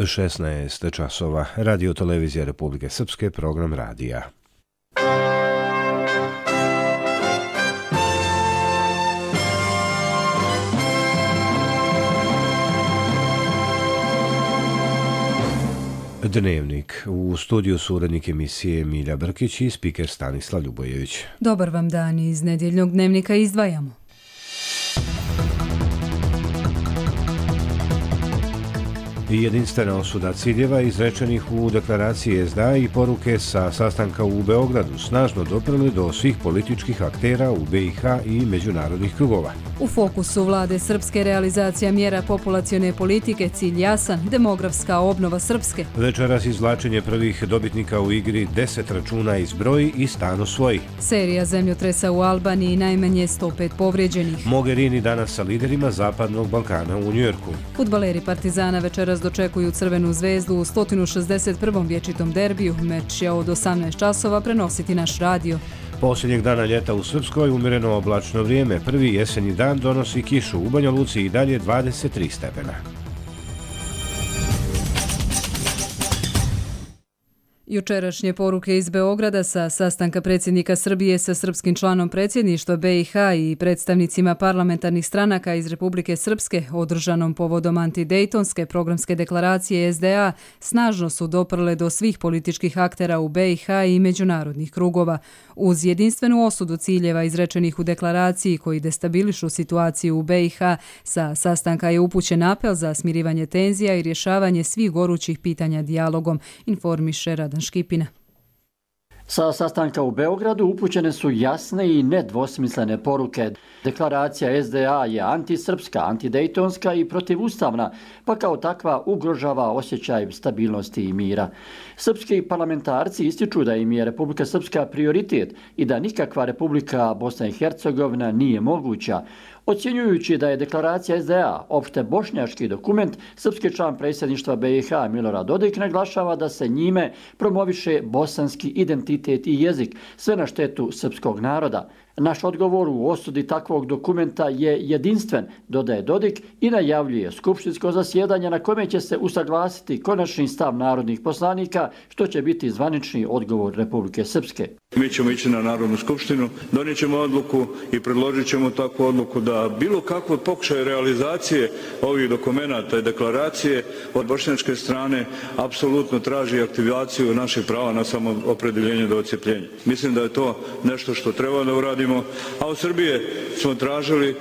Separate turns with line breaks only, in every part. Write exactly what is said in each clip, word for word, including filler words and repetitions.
šesnaest časova. Radio televizija Republike Srpske, program radija. Dnevnik. U studiju su urednik emisije Milja Brkić i spiker Stanislav Ljubojević.
Dobar vam dan, iz nedjeljnog dnevnika izdvajamo.
Jedinstvena osuda ciljeva izrečenih u deklaraciji S D A i poruke sa sastanka u Beogradu snažno doprle do svih političkih aktera u B i H i međunarodnih krugova.
U fokusu vlade Srpske realizacija mjera populacione politike, cilj jasan, demografska obnova Srpske.
Večeras izvlačenje prvih dobitnika u igri deset računa izbroji i stan osvoji.
Serija zemljotresa u Albaniji, najmanje sto pet povrijeđenih.
Mogherini danas sa liderima Zapadnog Balkana u Njujorku.
Fudbaleri Partizana večeras dočekuju Crvenu zvezdu u sto šezdeset prvom vječitom derbiju. Meč će od osamnaest časova prenositi naš radio.
Posljednjeg dana ljeta u Srpskoj umjereno oblačno vrijeme. Prvi jesenji dan donosi kišu. U Banja Luci i dalje dvadeset tri stepena.
Jučerašnje poruke iz Beograda sa sastanka predsjednika Srbije sa srpskim članom predsjedništva B i H i predstavnicima parlamentarnih stranaka iz Republike Srpske održanom povodom antidejtonske programske deklaracije S D A snažno su doprle do svih političkih aktera u B i H i međunarodnih krugova. Uz jedinstvenu osudu ciljeva izrečenih u deklaraciji koji destabilišu situaciju u B i H, sa sastanka je upućen apel za smirivanje tenzija i rješavanje svih gorućih pitanja dijalogom, informiše Radan Škipina.
Sa sastanka u Beogradu upućene su jasne i nedvosmislene poruke. Deklaracija S D A je antisrpska, antidejtonska i protivustavna, pa kao takva ugrožava osjećaj stabilnosti i mira. Srpski parlamentarci ističu da im je Republika Srpska prioritet i da nikakva Republika Bosna i Hercegovina nije moguća. Ocjenjujući da je deklaracija S D A opšte bošnjački dokument, srpski član predsjedništva B i H Milorad Dodik naglašava da se njime promoviše bosanski identitet i jezik, sve na štetu srpskog naroda. Naš odgovor u osudi takvog dokumenta je jedinstven, dodaje Dodik i najavljuje skupštinsko zasjedanje na kome će se usaglasiti konačni stav narodnih poslanika, što će biti zvanični odgovor Republike Srpske.
Mi ćemo ići na Narodnu skupštinu, donijet ćemo odluku i predložit ćemo takvu odluku da bilo kakvo pokušaj realizacije ovih dokumenata i deklaracije od bošnjačke strane apsolutno traži aktivaciju naših prava na samoopredjeljenje do odcjepljenja. Mislim da je to nešto što treba da uradimo, a od Srbije smo tražili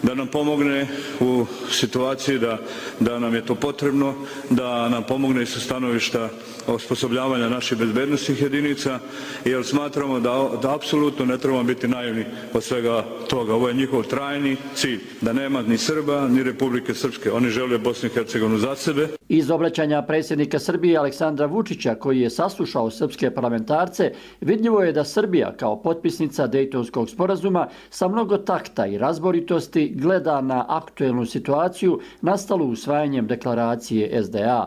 da nam pomogne u situaciji da, da nam je to potrebno, da nam pomogne i sa stanovišta osposobljavanja naših bezbednosnih jedinica, jer smatramo da, da apsolutno ne trebamo biti naivni od svega toga. Ovo je njihov trajni cilj, da nema ni Srba, ni Republike Srpske. Oni žele Bosnu i Hercegovinu za sebe.
Iz obraćanja predsjednika Srbije Aleksandra Vučića, koji je saslušao srpske parlamentarce, vidljivo je da Srbija kao potpisnica Dejtonskog sporazuma sa mnogo takta i razboritosti gleda na aktuelnu situaciju nastalu usvajanjem deklaracije S D A.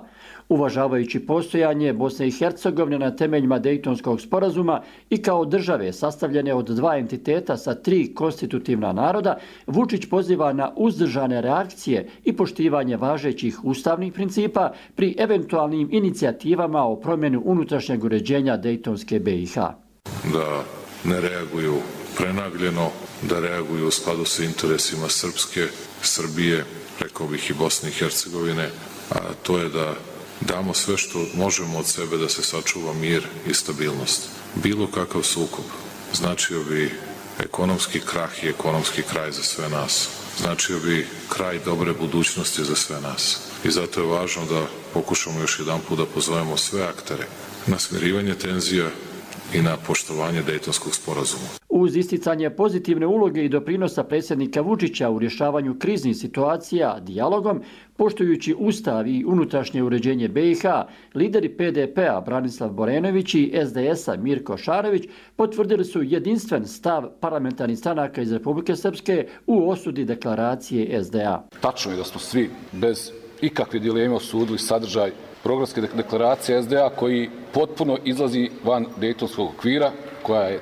Uvažavajući postojanje Bosne i Hercegovine na temeljima Dejtonskog sporazuma i kao države sastavljene od dva entiteta sa tri konstitutivna naroda, Vučić poziva na uzdržane reakcije i poštivanje važećih ustavnih principa pri eventualnim inicijativama o promjeni unutrašnjeg uređenja Dejtonske B i H.
Da ne reaguju prenagljeno, da reaguju u skladu sa interesima Srpske, Srbije, rekao bih i Bosne i Hercegovine, a to je da damo sve što možemo od sebe da se sačuva mir i stabilnost. Bilo kakav sukob značio bi ekonomski krah i ekonomski kraj za sve nas. Značio bi kraj dobre budućnosti za sve nas. I zato je važno da pokušamo još jedan put da pozovemo sve aktere na smirivanje tenzija i na poštovanje Dejtonskog sporazuma.
Uz isticanje pozitivne uloge i doprinosa predsjednika Vučića u rješavanju kriznih situacija dijalogom, poštujući ustav i unutrašnje uređenje B i H, lideri P D P-a Branislav Borenović i S D S-a Mirko Šarović potvrdili su jedinstven stav parlamentarnih stranaka iz Republike Srpske u osudi deklaracije S D A.
Tačno je da smo svi bez ikakve dileme osudili sadržaj programske deklaracije S D A koji potpuno izlazi van Dejtonskog okvira, koja je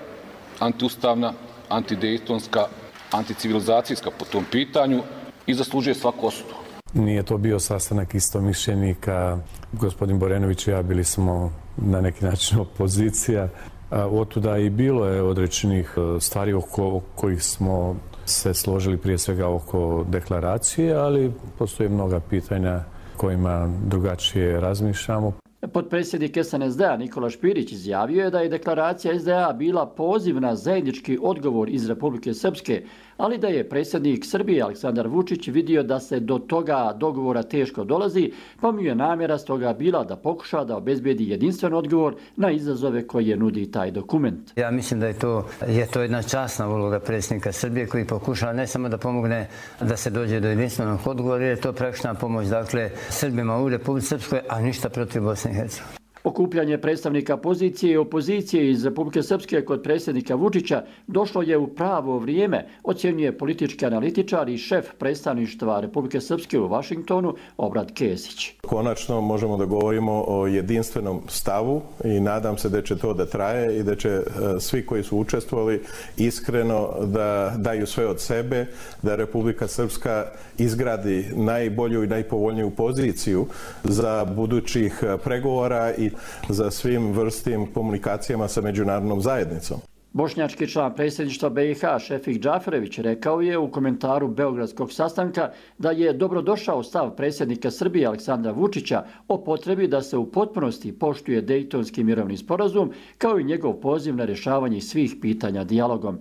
antiustavna, antidejtonska, anticivilizacijska po tom pitanju i zaslužuje svaku osudu.
Nije to bio sastanak istomišljenika. Gospodin Borenović i ja bili smo na neki način opozicija. Otuda i bilo je određenih stvari oko kojih smo se složili, prije svega oko deklaracije, ali postoje mnoga pitanja kojima drugačije razmišljamo.
Potpredsjednik S N S D-a Nikola Špirić izjavio je da je deklaracija S D A bila poziv na zajednički odgovor iz Republike Srpske, ali da je predsjednik Srbije Aleksandar Vučić vidio da se do toga dogovora teško dolazi, pa mu je namjera stoga bila da pokuša da obezbedi jedinstven odgovor na izazove koje nudi taj dokument.
Ja mislim da je to, je to jedna časna uloga predsjednika Srbije koji pokuša ne samo da pomogne da se dođe do jedinstvenog odgovora, jer je to praktična pomoć dakle Srbima u Republici Srpskoj, a ništa protiv Bosne i Hercegovine.
Okupljanje predstavnika pozicije i opozicije iz Republike Srpske kod predsjednika Vučića došlo je u pravo vrijeme, ocjenjuje politički analitičar i šef predstavništva Republike Srpske u Vašingtonu Obrad Kesić.
Konačno možemo da govorimo o jedinstvenom stavu i nadam se da će to da traje i da će svi koji su učestvovali iskreno da daju sve od sebe, da Republika Srpska izgradi najbolju i najpovoljniju poziciju za budućih pregovora i za svim vrstim komunikacijama sa međunarodnom zajednicom.
Bošnjački član predsjedništva B i H Šefik Džaferović rekao je u komentaru beogradskog sastanka da je dobrodošao stav predsjednika Srbije Aleksandra Vučića o potrebi da se u potpunosti poštuje Dejtonski mirovni sporazum kao i njegov poziv na rješavanje svih pitanja dijalogom.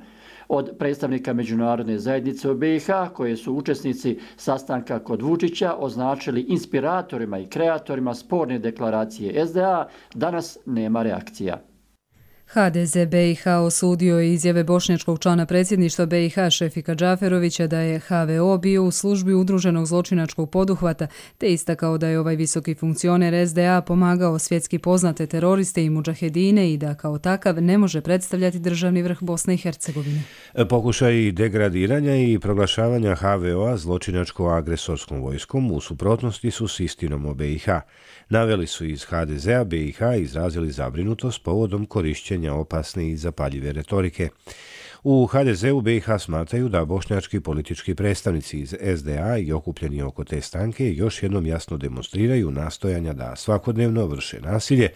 Od predstavnika međunarodne zajednice u B i H, koje su učesnici sastanka kod Vučića označili inspiratorima i kreatorima sporne deklaracije S D A, danas nema reakcija.
H D Z B i H osudio je izjave bošnjačkog člana predsjedništva B i H Šefika Džaferovića da je H V O bio u službi udruženog zločinačkog poduhvata, te istakao da je ovaj visoki funkcioner S D A pomagao svjetski poznate teroriste i mudžahedine i da kao takav ne može predstavljati državni vrh Bosne i Hercegovine.
Pokušaj degradiranja i proglašavanja H V O-a zločinačko-agresorskom vojskom u suprotnosti su s istinom o B i H. Naveli su iz H D Z-a B i H izrazili zabrinutost povodom korišćenja opasne i zapaljive retorike. U H D Z-u B i H smatraju da bošnjački politički predstavnici iz S D A i okupljeni oko te stranke još jednom jasno demonstriraju nastojanja da svakodnevno vrše nasilje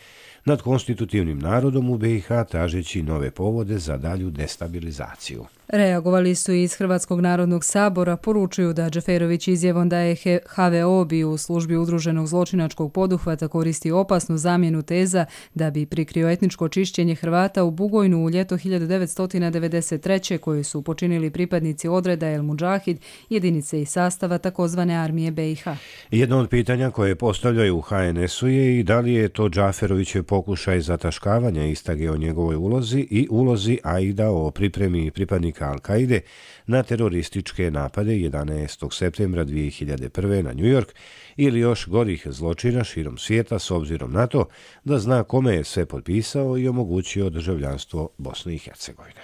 nad konstitutivnim narodom u B i H tražeći nove povode za dalju destabilizaciju.
Reagovali su iz Hrvatskog narodnog sabora, poručuju da Džaferović izjavom da je H V O bio u službi udruženog zločinačkog poduhvata koristi opasnu zamjenu teza da bi prikrio etničko čišćenje Hrvata u Bugojnu u ljeto hiljadu devetsto devedeset treće koje su počinili pripadnici odreda El Mudžahid, jedinice i sastava takozvane armije B i H.
Jedno od pitanja koje postavljaju u H N S-u je i da li je to Džaferovićev pokušaj zataškavanja istage o njegovoj ulozi i ulozi Aida o pripremi pripadnika Al-Kaide na terorističke napade jedanaestog septembra dvije hiljade prve. na New York ili još gorih zločina širom svijeta s obzirom na to da zna kome je sve potpisao i omogućio državljanstvo Bosne i Hercegovine.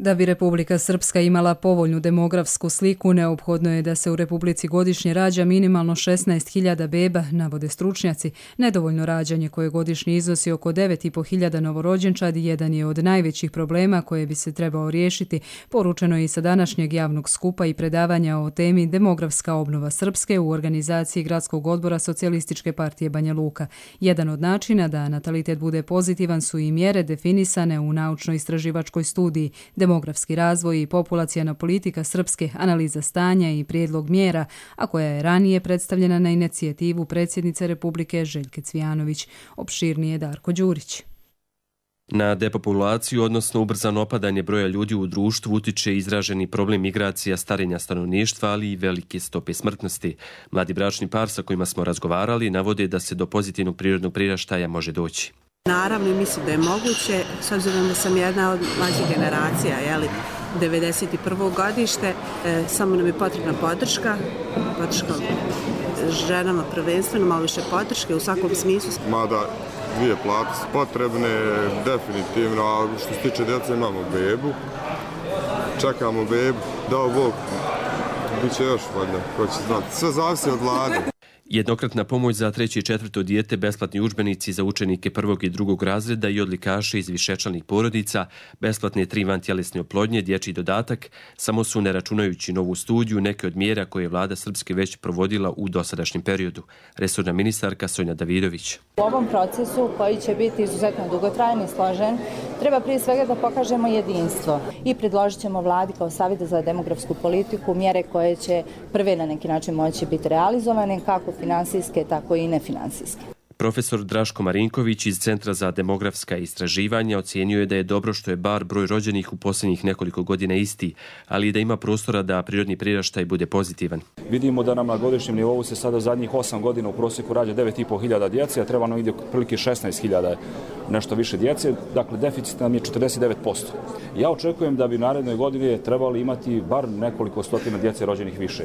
Da bi Republika Srpska imala povoljnu demografsku sliku, neophodno je da se u Republici godišnje rađa minimalno šesnaest hiljada beba, navode stručnjaci. Nedovoljno rađanje koje godišnje iznosi oko devet i po hiljada novorođenčadi jedan je od najvećih problema koje bi se trebao riješiti, poručeno je i sa današnjeg javnog skupa i predavanja o temi Demografska obnova Srpske u organizaciji Gradskog odbora Socijalističke partije Banja Luka. Jedan od načina da natalitet bude pozitivan su i mjere definisane u naučno-istraživačkoj studiji Demografski razvoj i populaciona politika Srpske, analiza stanja i prijedlog mjera, a koja je ranije predstavljena na inicijativu predsjednice Republike Željke Cvijanović. Opširnije Darko Đurić.
Na depopulaciju, odnosno ubrzano opadanje broja ljudi u društvu, utiče izraženi problem migracija, starenja stanovništva, ali i velike stope smrtnosti. Mladi bračni par sa kojima smo razgovarali navode da se do pozitivnog prirodnog priraštaja može doći.
Naravno, mislim da je moguće, s obzirom da sam jedna od mlađih generacija, jeli, devedeset prvo godište, e, samo nam je potrebna podrška, podrška ženama prvenstveno, malo više podrške u svakom smislu.
Mada dvije plate su potrebne, definitivno, a što se tiče djeca imamo bebu, čekamo bebu, dao Bog, bit će još valjda, ko će znati, sve zavisi od vlade.
Jednokratna pomoć za treće i četvrto dijete, besplatni udžbenici za učenike prvog i drugog razreda i odlikaše iz višečlanih porodica, besplatne tri vantjelesne oplodnje, dječji dodatak, samo su, ne računajući novu studiju, neke od mjera koje je vlada Srpske već provodila u dosadašnjem periodu. Resorna ministarka Sonja Davidović.
U ovom procesu, koji će biti izuzetno dugotrajan i složen, treba prije svega da pokažemo jedinstvo i predložit ćemo vladi kao Savjet za demografsku politiku mjere koje će prve na neki način moći biti realizovane, kako finansijske, tako i nefinansijske.
Profesor Draško Marinković iz Centra za demografska istraživanja ocjenjuje da je dobro što je bar broj rođenih u posljednjih nekoliko godina isti, ali i da ima prostora da prirodni priraštaj bude pozitivan.
Vidimo da nam na godišnjem nivou se sada zadnjih osam godina u prosjeku rađa devet i po hiljada djece, a treba nam ide prilike šesnaest hiljada nešto više djece, dakle deficit nam je četrdeset devet posto. Ja očekujem da bi naredne godine trebali imati bar nekoliko stotina djece rođenih više.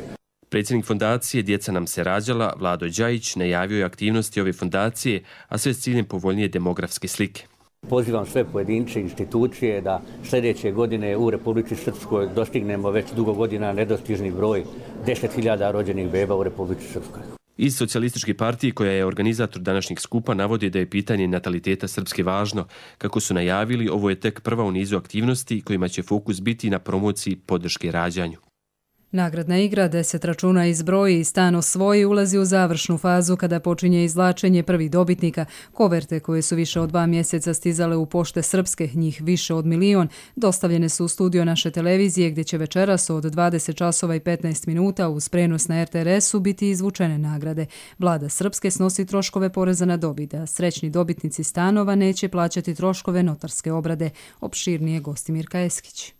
Predsjednik fondacije Djeca nam se rađala, Vlado Đajić, najavio je aktivnosti ove fondacije, a sve s ciljem povoljnije demografske slike.
Pozivam sve pojedinče institucije da sljedeće godine u Republici Srpskoj dostignemo već dugo godina nedostižni broj deset hiljada rođenih beba u Republici Srpskoj.
Iz Socijalističke partije, koja je organizator današnjeg skupa, navodi da je pitanje nataliteta Srpske važno. Kako su najavili, ovo je tek prva u nizu aktivnosti kojima će fokus biti na promociji podrške rađanju.
Nagradna igra deset računa izbroji i stan osvoji ulazi u završnu fazu kada počinje izvlačenje prvih dobitnika. Koverte koje su više od dva mjeseca stizale u pošte Srpske, njih više od milion, dostavljene su u studio naše televizije gdje će večeras od dvadeset časova i petnaest minuta uz prenos na er te er esu biti izvučene nagrade. Vlada Srpske snosi troškove poreza na dobit, a srećni dobitnici stanova neće plaćati troškove notarske obrade. Opširnije Gostimirka Eskić.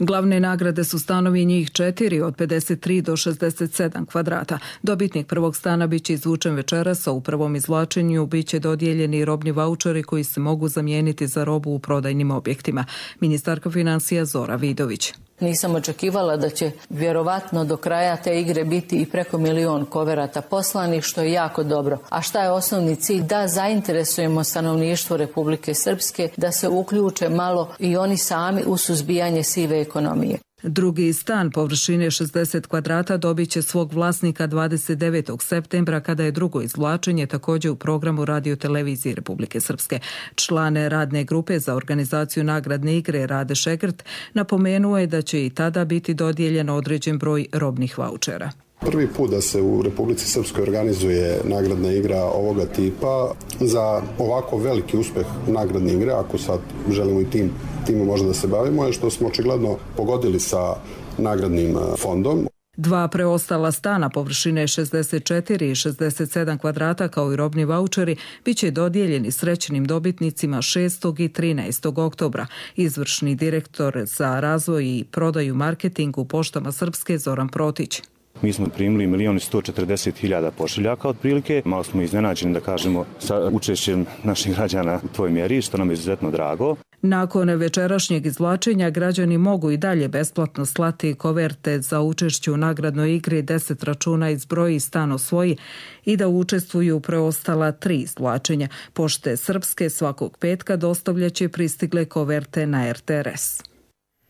Glavne nagrade su stanovi njih četiri od pedeset tri do šezdeset sedam kvadrata. Dobitnik prvog stana biće izvučen večeras, a u prvom izvlačenju biće dodijeljeni robni vaučeri koji se mogu zamijeniti za robu u prodajnim objektima. Ministarka financija Zora Vidović.
Nisam očekivala da će vjerovatno do kraja te igre biti i preko milion koverata poslanih, što je jako dobro. A šta je osnovni cilj? Da zainteresujemo stanovništvo Republike Srpske, da se uključe malo i oni sami u suzbijanje sive ekonomije.
Drugi stan površine šezdeset kvadrata dobit će svog vlasnika dvadeset devetog septembra kada je drugo izvlačenje također u programu Radio-televizije Republike Srpske. Člane radne grupe za organizaciju nagradne igre Rade Šegrt napomenuo je da će i tada biti dodijeljen određen broj robnih vaučera.
Prvi put da se u Republici Srpskoj organizuje nagradna igra ovoga tipa. Za ovako veliki uspjeh nagradne igre, ako sad želimo i tim, time možda da se bavimo, je što smo očigledno pogodili sa nagradnim fondom.
Dva preostala stana površine šezdeset četiri i šezdeset sedam kvadrata kao i robni vaučeri biće dodijeljeni srećnim dobitnicima šestog i trinaestog oktobra. Izvršni direktor za razvoj i prodaju marketing u Poštama Srpske Zoran Protić.
Mi smo primili milion i sto četrdeset hiljada pošiljaka otprilike. Malo smo iznenađeni, da kažemo, sa učešćem naših građana u toj mjeri, što nam je izuzetno drago.
Nakon večerašnjeg izvlačenja građani mogu i dalje besplatno slati koverte za učešće u nagradnoj igri deset računa izbroji i stan osvoji i da učestvuju u preostala tri izvlačenja. Pošte Srpske svakog petka dostavljaće pristigle koverte na er te er es.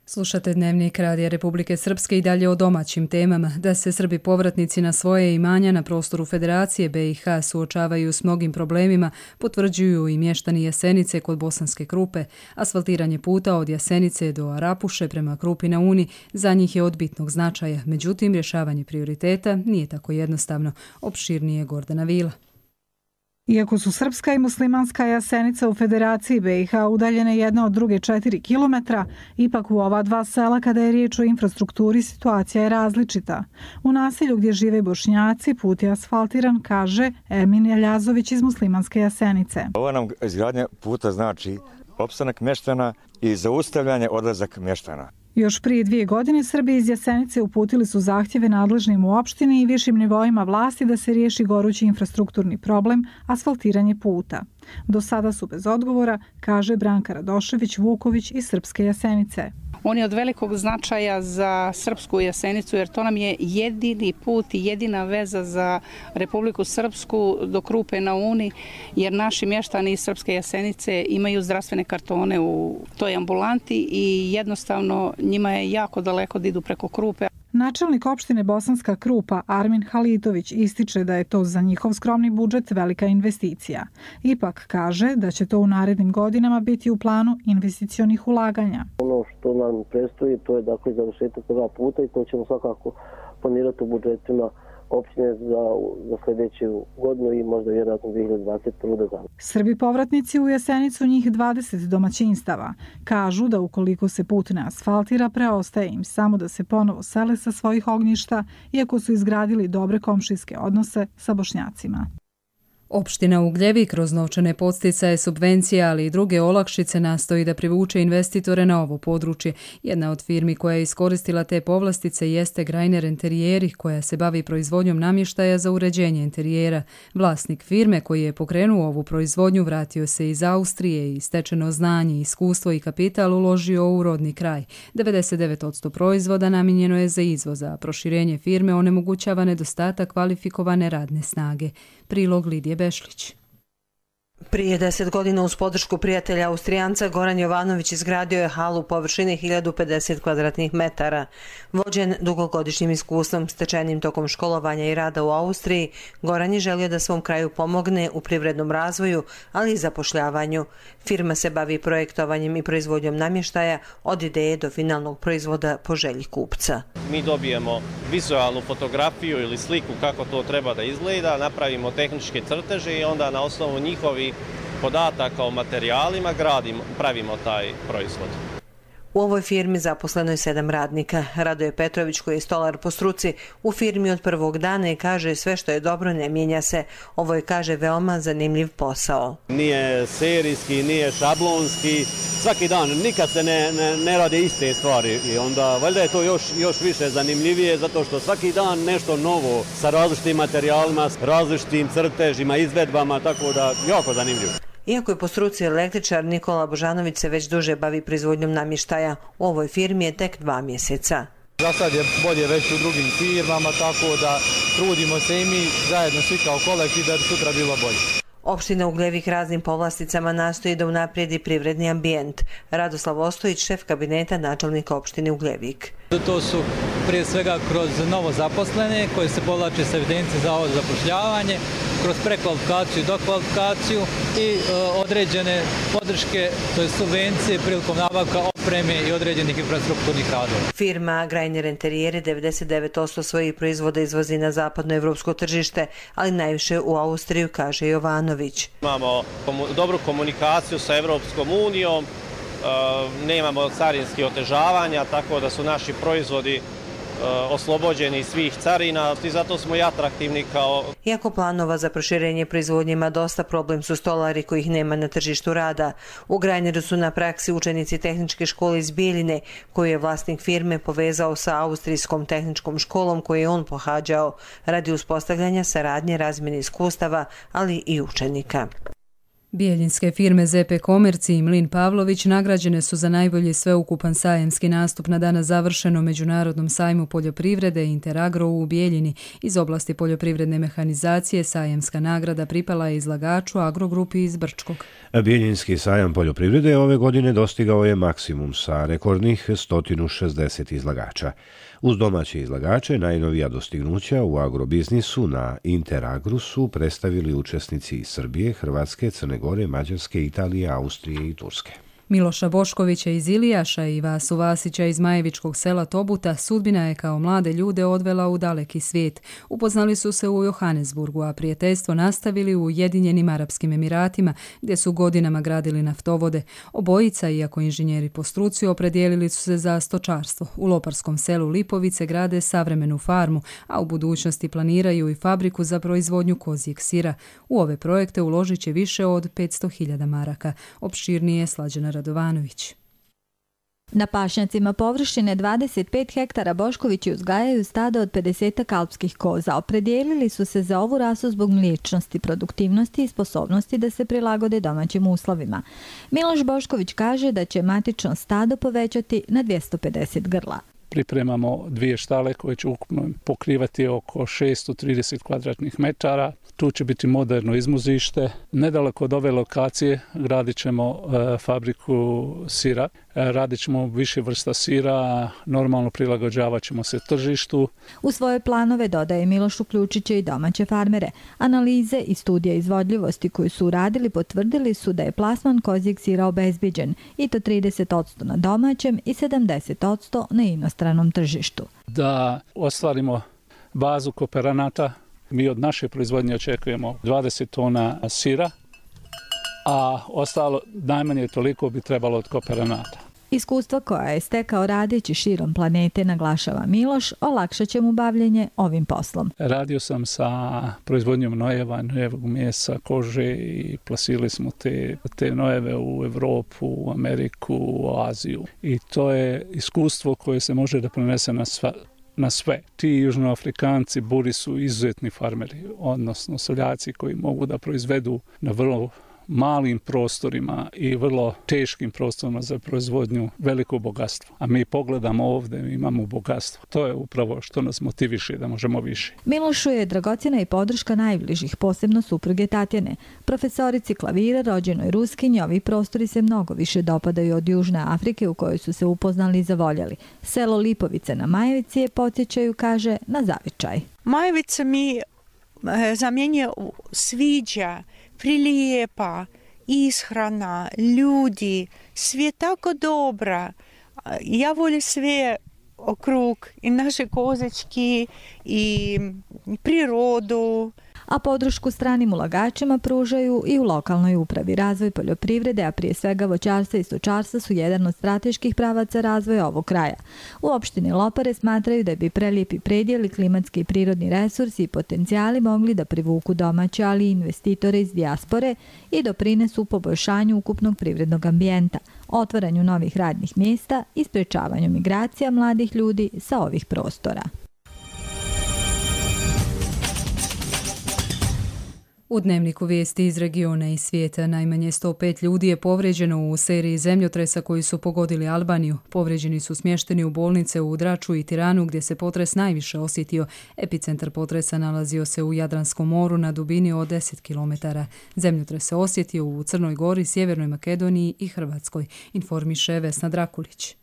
Slušate Dnevnik Radija Republike Srpske i dalje o domaćim temama. Da se Srbi povratnici na svoje imanja na prostoru Federacije be i ha suočavaju s mnogim problemima, potvrđuju i mještani Jasenice kod Bosanske Krupe. Asfaltiranje puta od Jasenice do Arapuše prema Krupi na Uni za njih je od bitnog značaja. Međutim, rješavanje prioriteta nije tako jednostavno. Opširnije Gordana Vila.
Iako su srpska i muslimanska Jasenica u Federaciji be i ha udaljene jedna od druge četiri kilometra, ipak u ova dva sela kada je riječ o infrastrukturi situacija je različita. U naselju gdje žive Bošnjaci put je asfaltiran, kaže Emin Eljazović iz muslimanske Jasenice.
Ova nam izgradnja puta znači opstanak mještana i zaustavljanje odlazak mještana.
Još prije dvije godine Srbi iz Jasenice uputili su zahtjeve nadležnim u opštini i višim nivoima vlasti da se riješi gorući infrastrukturni problem, asfaltiranje puta. Do sada su bez odgovora, kaže Branka Radošević Vuković iz srpske Jasenice.
On je od velikog značaja za srpsku Jasenicu jer to nam je jedini put i jedina veza za Republiku Srpsku do Krupe na Uni, jer naši mještani iz srpske Jasenice imaju zdravstvene kartone u toj ambulanti i jednostavno njima je jako daleko da idu preko Krupe.
Načelnik opštine Bosanska Krupa Armin Halitović ističe da je to za njihov skromni budžet velika investicija. Ipak kaže da će to u narednim godinama biti u planu investicionih ulaganja.
Ono što nam predstoji to je dakle završetak toga puta i to ćemo svakako planirati u budžetima opštine za, za sljedeću godinu i možda vjerojatno dvije hiljade dvadeset prve do završetka.
Srbi povratnici u Jasenicu, njih dvadeset domaćinstava, kažu da ukoliko se put ne asfaltira, preostaje im samo da se ponovo sele sa svojih ognjišta, iako su izgradili dobre komšijske odnose sa Bošnjacima.
Opština Ugljevik kroz novčane podsticaje, subvencije, ali i druge olakšice nastoji da privuče investitore na ovo područje. Jedna od firmi koja je iskoristila te povlastice jeste Grajner Enterijeri, koja se bavi proizvodnjom namještaja za uređenje interijera. Vlasnik firme koji je pokrenuo ovu proizvodnju vratio se iz Austrije i stečeno znanje, iskustvo i kapital uložio u rodni kraj. devedeset devet posto proizvoda namijenjeno je za izvoz, a proširenje firme onemogućava nedostatak kvalifikovane radne snage. Prilog Lidije Bešlić.
Prije deset godina uz podršku prijatelja Austrijanca Goran Jovanović izgradio je halu površine hiljadu pedeset kvadratnih metara. Vođen dugogodišnjim iskustvom stečenim tokom školovanja i rada u Austriji, Goran je želio da svom kraju pomogne u privrednom razvoju, ali i zapošljavanju. Firma se bavi projektovanjem i proizvodnjom namještaja od ideje do finalnog proizvoda po želji kupca.
Mi dobijemo vizualnu fotografiju ili sliku kako to treba da izgleda, napravimo tehničke crteže i onda na osnovu njihovi podataka o materijalima gradimo, pravimo taj proizvod.
U ovoj firmi zaposleno je sedam radnika. Radoje Petrović, koji je stolar po struci, u firmi od prvog dana i kaže sve što je dobro ne mijenja se. Ovo je, kaže, veoma zanimljiv posao.
Nije serijski, nije šablonski, svaki dan nikad se ne, ne, ne rade iste stvari i onda valjda je to još, još više zanimljivije zato što svaki dan nešto novo sa različitim materijalima, s različitim crtežima, izvedbama, tako da jako zanimljivo.
Iako je po struci električar, Nikola Božanović se već duže bavi proizvodnjom namještaja. U ovoj firmi je tek dva mjeseca.
Za sad je bolje već u drugim firmama, tako da trudimo se i mi zajedno svi kao kolektiv da bi sutra bilo bolje.
Opština Ugljevik raznim povlasticama nastoji da unaprijedi privredni ambijent. Radoslav Ostojić, šef kabineta načelnika opštine Ugljevik.
To su prije svega kroz novo zaposlene koje se povlače sa evidencije za ovo zapošljavanje, kroz prekvalifikaciju i dokvalifikaciju i e, određene podrške, to je subvencije prilikom nabavka opreme i određenih infrastrukturnih radova.
Firma Grajner Enterijeri devedeset devet posto svojih proizvoda izvozi na zapadno evropsko tržište, ali najviše u Austriju, kaže Jovanović.
Imamo komu, dobru komunikaciju sa Evropskom unijom, e, nemamo carinskih otežavanja, tako da su naši proizvodi oslobođeni svih carina i zato smo i atraktivni kao...
Iako planova za proširenje proizvodnje ima dosta, problem su stolari kojih nema na tržištu rada. U Grajneru su na praksi učenici tehničke škole iz Bijeljine, koju je vlasnik firme povezao sa austrijskom tehničkom školom koju je on pohađao radi uspostavljanja saradnje, razmjene iskustava, ali i učenika.
Bijeljinske firme Z P Komerci i Mlin Pavlović nagrađene su za najbolji sveukupan sajamski nastup na danas završenom Međunarodnom sajmu poljoprivrede Interagro u Bijeljini. Iz oblasti poljoprivredne mehanizacije sajamska nagrada pripala je izlagaču Agrogrupi iz Brčkog.
Bijeljinski sajam poljoprivrede ove godine dostigao je maksimum sa rekordnih sto šezdeset izlagača. Uz domaće izlagače najnovija dostignuća u agrobiznisu na Interagru su predstavili učesnici iz Srbije, Hrvatske, Crne Gore, Mađarske, Italije, Austrije i Turske.
Miloša Boškovića iz Ilijaša i Vasu Vasića iz Majevičkog sela Tobuta sudbina je kao mlade ljude odvela u daleki svijet. Upoznali su se u Johannesburgu, a prijateljstvo nastavili u Ujedinjenim Arapskim Emiratima, gdje su godinama gradili naftovode. Obojica, iako inženjeri po struci, opredijelili su se za stočarstvo. U loparskom selu Lipovice grade savremenu farmu, a u budućnosti planiraju i fabriku za proizvodnju kozjeg sira. U ove projekte uložit će više od petsto hiljada maraka. Opširnije Slađana Radovanović.
Na pašnjacima površine dvadeset pet hektara Boškovići uzgajaju stada od pedeset alpskih koza. Opredijelili su se za ovu rasu zbog mliječnosti, produktivnosti i sposobnosti da se prilagode domaćim uslovima. Miloš Bošković kaže da će matično stado povećati na dvjesto pedeset grla.
pripremamo dvije štale koje će ukupno pokrivati oko šesto trideset kvadratnih metara. Tu će biti moderno izmuzište. Nedaleko od ove lokacije gradit ćemo e, fabriku sira. E, radit ćemo više vrsta sira, normalno prilagođavat ćemo se tržištu.
U svoje planove, dodaje Miloš, uključit će i domaće farmere. Analize i studije izvodljivosti koju su uradili potvrdili su da je plasman kozjeg sira obezbijeđen i to trideset posto na domaćem i sedamdeset posto na inostranom tržištu.
Da ostvarimo bazu kooperanata, mi od naše proizvodnje očekujemo dvadeset tona sira, a ostalo najmanje toliko bi trebalo od kooperanata.
Iskustva koja je stekao radeći širom planete, naglašava Miloš, olakšat će mu bavljenje ovim poslom.
Radio sam sa proizvodnjom nojeva, nojevog mesa, kože i plasirali smo te, te nojeve u Evropu, u Ameriku, u Aziju. I to je iskustvo koje se može da prenese na sva, na sve. Ti južnoafrikanci, buri su izuzetni farmeri, odnosno seljaci koji mogu da proizvedu na vrlo malim prostorima i vrlo teškim prostorima za proizvodnju veliko bogatstvo. A mi pogledamo ovdje, imamo bogatstvo. To je upravo što nas motiviše da možemo više.
Milošu je dragocjena i podrška najbližih, posebno supruge Tatjane. Profesorici klavira, rođenoj Ruskinji, ovi prostori se mnogo više dopadaju od Južne Afrike u kojoj su se upoznali i zavoljeli. Selo Lipovice na Majevici je podsjećaju, kaže, na zavičaj.
Majevica mi zamjenje sviđa, prilijepa, ishrana, ljudi, sve tako dobra. Ja volim sve okrug, i naše kozečki, i prirodu.
A podršku stranim ulagačima pružaju i u lokalnoj upravi. Razvoj poljoprivrede, a prije svega voćarstva i stočarstva, su jedan od strateških pravaca razvoja ovog kraja. U opštini Lopare smatraju da bi prelijepi predjeli, klimatski i prirodni resursi i potencijali mogli da privuku domaće, ali i investitore iz dijaspore i doprinesu poboljšanju ukupnog privrednog ambijenta, otvaranju novih radnih mjesta i sprečavanju migracija mladih ljudi sa ovih prostora.
U dnevniku vijesti iz regiona i svijeta najmanje sto pet ljudi je povrijeđeno u seriji zemljotresa koji su pogodili Albaniju. Povrijeđeni su smješteni u bolnice u Draču i Tiranu gdje se potres najviše osjetio. Epicentar potresa nalazio se u Jadranskom moru na dubini od deset kilometara. Zemljotres se osjetio u Crnoj Gori, Sjevernoj Makedoniji i Hrvatskoj, informiše Vesna Drakulić.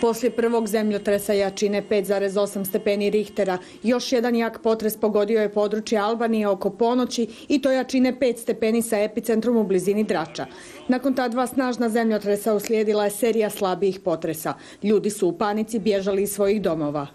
Poslije prvog zemljotresa jačine pet zarez osam stepeni Richtera, još jedan jak potres pogodio je područje Albanije oko ponoći i to jačine pet stepeni sa epicentrom u blizini Drača. Nakon ta dva snažna zemljotresa uslijedila je serija slabijih potresa. Ljudi su u panici bježali iz svojih domova.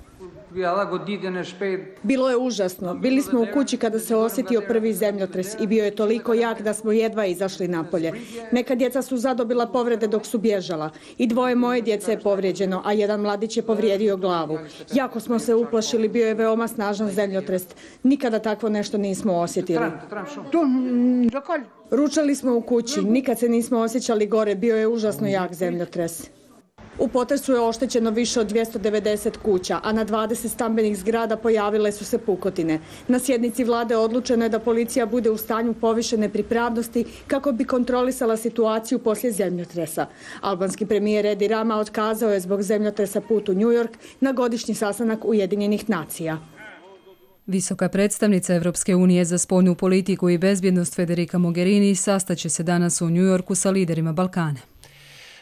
Bilo je užasno. Bili smo u kući kada se osjetio prvi zemljotres i bio je toliko jak da smo jedva izašli napolje. Neka djeca su zadobila povrede dok su bježala. I dvoje moje djece je povrijeđeno, a jedan mladić je povrijedio glavu. Jako smo se uplašili, bio je veoma snažan zemljotres. Nikada takvo nešto nismo osjetili. Ručali smo u kući, nikad se nismo osjećali gore, bio je užasno jak zemljotres. U potresu je oštećeno više od dvjesto devedeset kuća, a na dvadeset stambenih zgrada pojavile su se pukotine. Na sjednici vlade odlučeno je da policija bude u stanju povišene pripravnosti kako bi kontrolisala situaciju poslije zemljotresa. Albanski premijer Edi Rama otkazao je zbog zemljotresa put u New York na godišnji sastanak Ujedinjenih nacija.
Visoka predstavnica Evropske unije za spoljnu politiku i bezbjednost Federica Mogherini sastaće se danas u New Yorku sa liderima Balkana.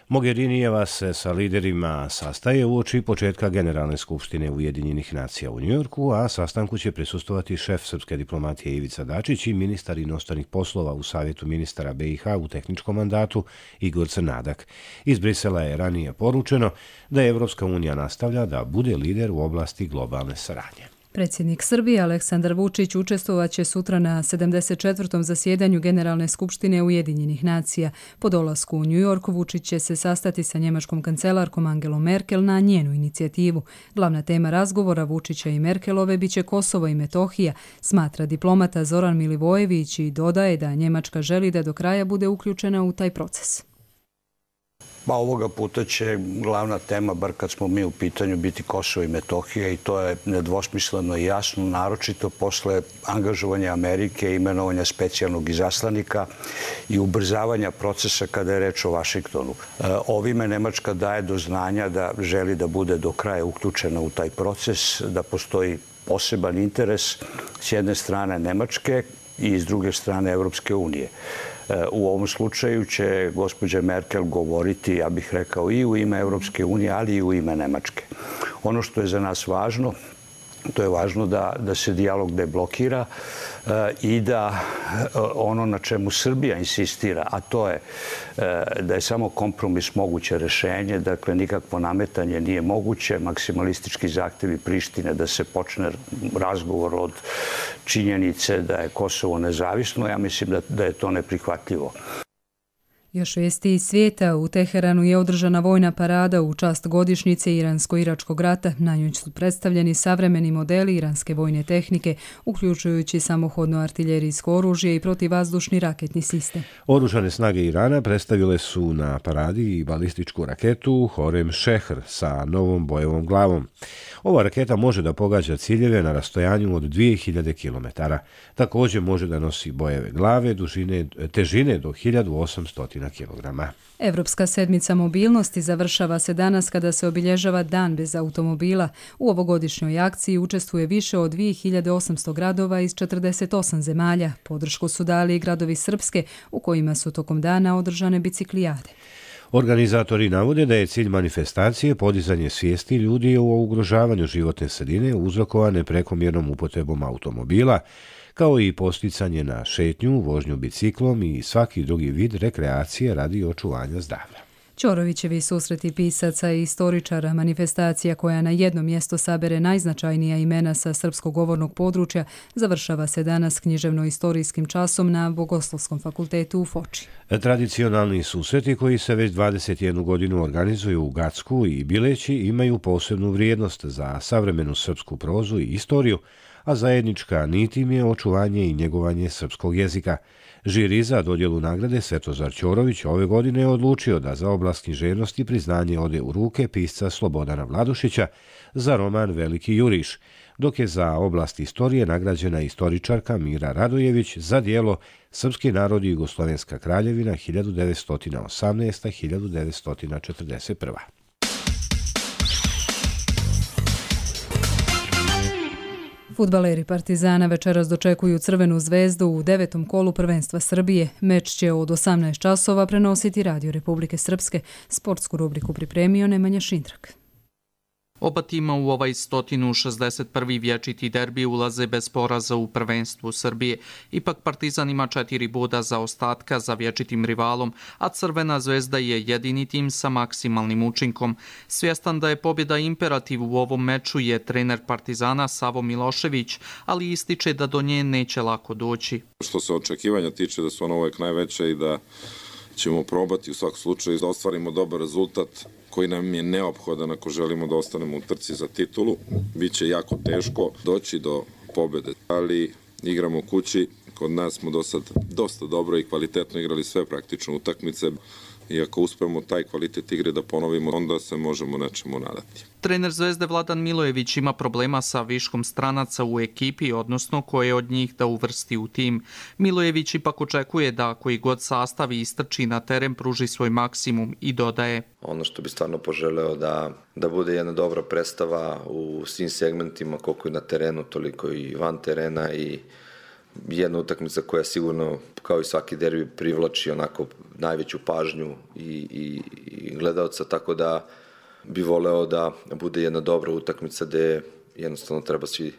Mogherinijeva se sa liderima sastaje uoči početka Generalne skupštine Ujedinjenih nacija u Njujorku, a sastanku će prisustovati šef srpske diplomatije Ivica Dačić i ministar inostranih poslova u Savjetu ministara B i H u tehničkom mandatu Igor Crnadak. Iz Brisela je ranije poručeno da je Evropska unija nastavlja da bude lider u oblasti globalne saradnje.
Predsjednik Srbije Aleksandar Vučić učestvovaće sutra na sedamdeset četvrtom zasjedanju Generalne skupštine Ujedinjenih nacija. Po dolasku u New York Vučić će se sastati sa njemačkom kancelarkom Angelom Merkel na njenu inicijativu. Glavna tema razgovora Vučića i Merkelove biće Kosovo i Metohija, smatra diplomata Zoran Milivojević i dodaje da Njemačka želi da do kraja bude uključena u taj proces.
Pa ovoga puta će glavna tema, bar kad smo mi u pitanju, biti Kosovo i Metohija i to je nedvosmisleno i jasno, naročito posle angažovanja Amerike, imenovanja specijalnog izaslanika i ubrzavanja procesa kada je reč o Vašingtonu. Ovime Nemačka daje do znanja da želi da bude do kraja uključena u taj proces, da postoji poseban interes s jedne strane Nemačke i s druge strane Evropske unije. U ovom slučaju će gospođa Merkel govoriti, ja bih rekao, i u ime Evropske unije, ali i u ime Nemačke. Ono što je za nas važno, to je važno da, da se dijalog deblokira e, i da ono na čemu Srbija insistira, a to je e, da je samo kompromis moguće rešenje, dakle nikakvo nametanje nije moguće, maksimalistički zahtevi Prištine da se počne razgovor od činjenice da je Kosovo nezavisno, ja mislim da, da je to neprihvatljivo.
Još vijesti iz svijeta, u Teheranu je održana vojna parada u čast godišnjice Iransko-iračkog rata. Na njoj su predstavljeni savremeni modeli iranske vojne tehnike, uključujući samohodno artiljerijsko oružje i protivvazdušni raketni sistem.
Oružane snage Irana predstavile su na paradi i balističku raketu Horem Šehr sa novom bojevom glavom. Ova raketa može da pogađa ciljeve na rastojanju od dvije hiljade kilometara. Također može da nosi bojeve glave dužine, težine do hiljadu osamsto kilograma.
Evropska sedmica mobilnosti završava se danas kada se obilježava Dan bez automobila. U ovogodišnjoj akciji učestvuje više od dvije hiljade osamsto gradova iz četrdeset osam zemalja. Podršku su dali i gradovi Srpske, u kojima su tokom dana održane biciklijade.
Organizatori navode da je cilj manifestacije podizanje svijesti ljudi o ugrožavanju životne sredine uzrokovane prekomjernom upotrebom automobila, kao i posticanje na šetnju, vožnju biciklom i svaki drugi vid rekreacije radi očuvanja zdravlja.
Ćorovićevi susreti pisaca i istoričara, manifestacija koja na jedno mjesto sabere najznačajnija imena sa srpskog govornog područja, završava se danas književno-istorijskim časom na Bogoslovskom fakultetu u Foči.
Tradicionalni susreti koji se već dvadeset jednu godinu organizuju u Gacku i Bileći imaju posebnu vrijednost za savremenu srpsku prozu i istoriju, a zajednička nit im je očuvanje i njegovanje srpskog jezika. Žiri za dodjelu nagrade Svetozar Ćorović ove godine je odlučio da za oblast književnosti priznanje ode u ruke pisca Slobodana Vladušića za roman Veliki juriš, dok je za oblast istorije nagrađena istoričarka Mira Radojević za dijelo Srpski narod i Jugoslovenska kraljevina hiljadu devetsto osamnaesta do hiljadu devetsto četrdeset prva.
Fudbaleri Partizana večeras dočekuju Crvenu zvezdu u devetom kolu prvenstva Srbije. Meč će od osamnaest časova prenositi Radio Republike Srpske. Sportsku rubriku pripremio Nemanja Šindrak.
Oba tima u ovaj sto šezdeset prvi vječiti derbi ulaze bez poraza u prvenstvu Srbije. Ipak Partizan ima četiri boda za ostatka za vječitim rivalom, a Crvena zvezda je jedini tim sa maksimalnim učinkom. Svjestan da je pobjeda imperativ u ovom meču je trener Partizana Savo Milošević, ali ističe da do nje neće lako doći.
Što se očekivanja tiče da su ono uvek najveće i da ćemo probati u svakom slučaju da ostvarimo dobar rezultat koji nam je neophodan ako želimo da ostanemo u trci za titulu. Biće jako teško doći do pobjede, ali igramo kući. Kod nas smo do sad dosta dobro i kvalitetno igrali sve praktično utakmice. I ako uspemo taj kvalitet igre da ponovimo, onda se možemo nečemu nadati.
Trener Zvezde Vladan Milojević ima problema sa viškom stranaca u ekipi, odnosno koje od njih da uvrsti u tim. Milojević ipak očekuje da koji god sastavi istrči na teren pruži svoj maksimum i dodaje.
Ono što bi stvarno poželeo da, da bude jedna dobra predstava u svim segmentima, koliko i na terenu, toliko i van terena i jedna utakmica koja sigurno, kao i svaki derbi, privlači onako najveću pažnju i, i, i gledalca, tako da bi voleo da bude jedna dobra utakmica gde jednostavno treba svi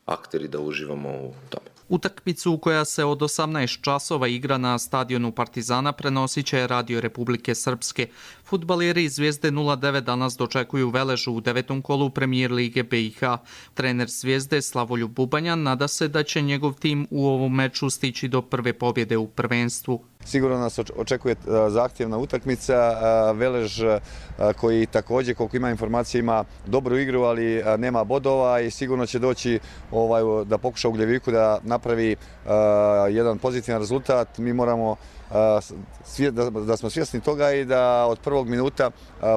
akteri da uživamo u tome.
Utakmicu koja se od osamnaest časova igra na stadionu Partizana prenosit će Radio Republike Srpske. Fudbaleri iz Zvijezde nula devet danas dočekuju Veležu u devetom kolu Premijer Lige B i H. Trener Zvijezde Slavoljub Bubanjan nada se da će njegov tim u ovom meču stići do prve pobjede u prvenstvu.
Sigurno nas očekuje zahtjevna utakmica. Velež koji također, koliko ima informacija, ima dobru igru, ali nema bodova i sigurno će doći ovaj, da pokuša u Gljeviku da napravi jedan pozitivan rezultat. Mi moramo da smo svjesni toga i da od prvog minuta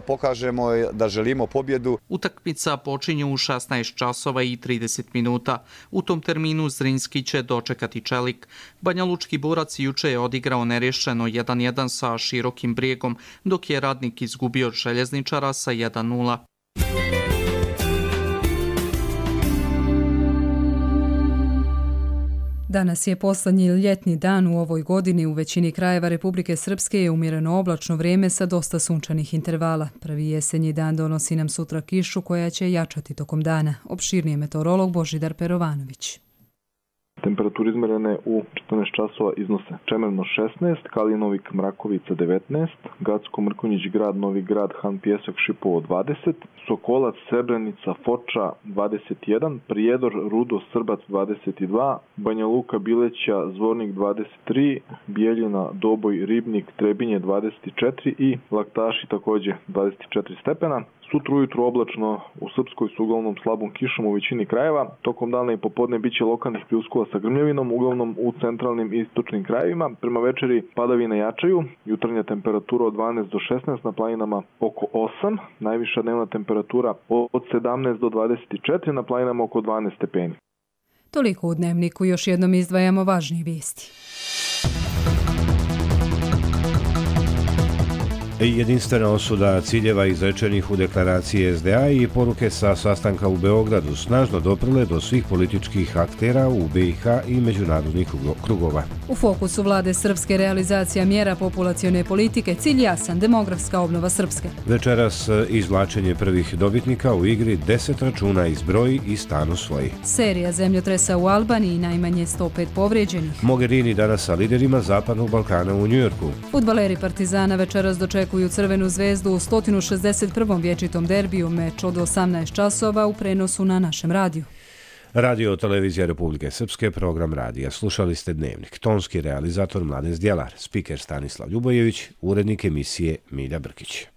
pokažemo da želimo pobjedu.
Utakmica počinje u šesnaest časova i trideset minuta. U tom terminu Zrinski će dočekati Čelik. Banjalučki borac juče je odigrao nerješeno jedan jedan sa Širokim Brijegom, dok je Radnik izgubio od Željezničara sa jedan nula.
Danas je poslednji ljetni dan u ovoj godini. U većini krajeva Republike Srpske je umjereno oblačno vrijeme sa dosta sunčanih intervala. Prvi jesenji dan donosi nam sutra kišu koja će jačati tokom dana. Opširnije meteorolog Božidar Perovanović.
Temperature izmerene u četrnaest časova iznose Čemerno šesnaest, Kalinovik, Mrakovica devetnaest, Gacko, Mrkonjić, Grad, Novi Grad, Han Pjesak, Šipovo dvadeset, Sokolac, Srebrenica, Foča dvadeset jedan, Prijedor, Rudo, Srbac dvadeset dva, Banja Luka, Bileća, Zvornik dvadeset tri, Bijeljina, Doboj, Ribnik, Trebinje dvadeset četiri i Laktaši također dvadeset četiri stepena. Sutra ujutru oblačno u Srpskoj s uglavnom slabom kišom u većini krajeva. Tokom dana i popodne biće lokalnih pljuskova sa grmljavinom, uglavnom u centralnim i istočnim krajevima. Prema večeri padavine jačaju, jutarnja temperatura od dvanaest do šesnaest, na planinama oko osam, najviša dnevna temperatura od sedamnaest do dvadeset četiri, na planinama oko dvanaest stepeni.
Toliko u Dnevniku, još jednom izdvajamo važnije vijesti.
Jedinstvena osuda ciljeva izrečenih u deklaraciji S D A i poruke sa sastanka u Beogradu snažno doprle do svih političkih aktera u B i H i međunarodnih krugova.
U fokusu vlade Srpske realizacija mjera populacione politike, cilj jasan, demografska obnova Srpske.
Večeras izvlačenje prvih dobitnika u igri deset računa izbroji i stan svoji.
Serija zemljotresa u Albaniji, najmanje sto pet povrijeđenih.
Mogherini danas sa liderima Zapadnog Balkana u Njujorku.
Fudbaleri Partizana večeras dočekuju Crvenu zvezdu u sto šezdeset prvom vječitom derbiju, meč od osamnaest časova u prenosu na našem radiju.
Radio Televizija Republike Srpske, program radija. Slušali ste Dnevnik. Tonski realizator Mladen Zdjelar, spiker Stanislav Ljubojević, urednik emisije Milja Brkić.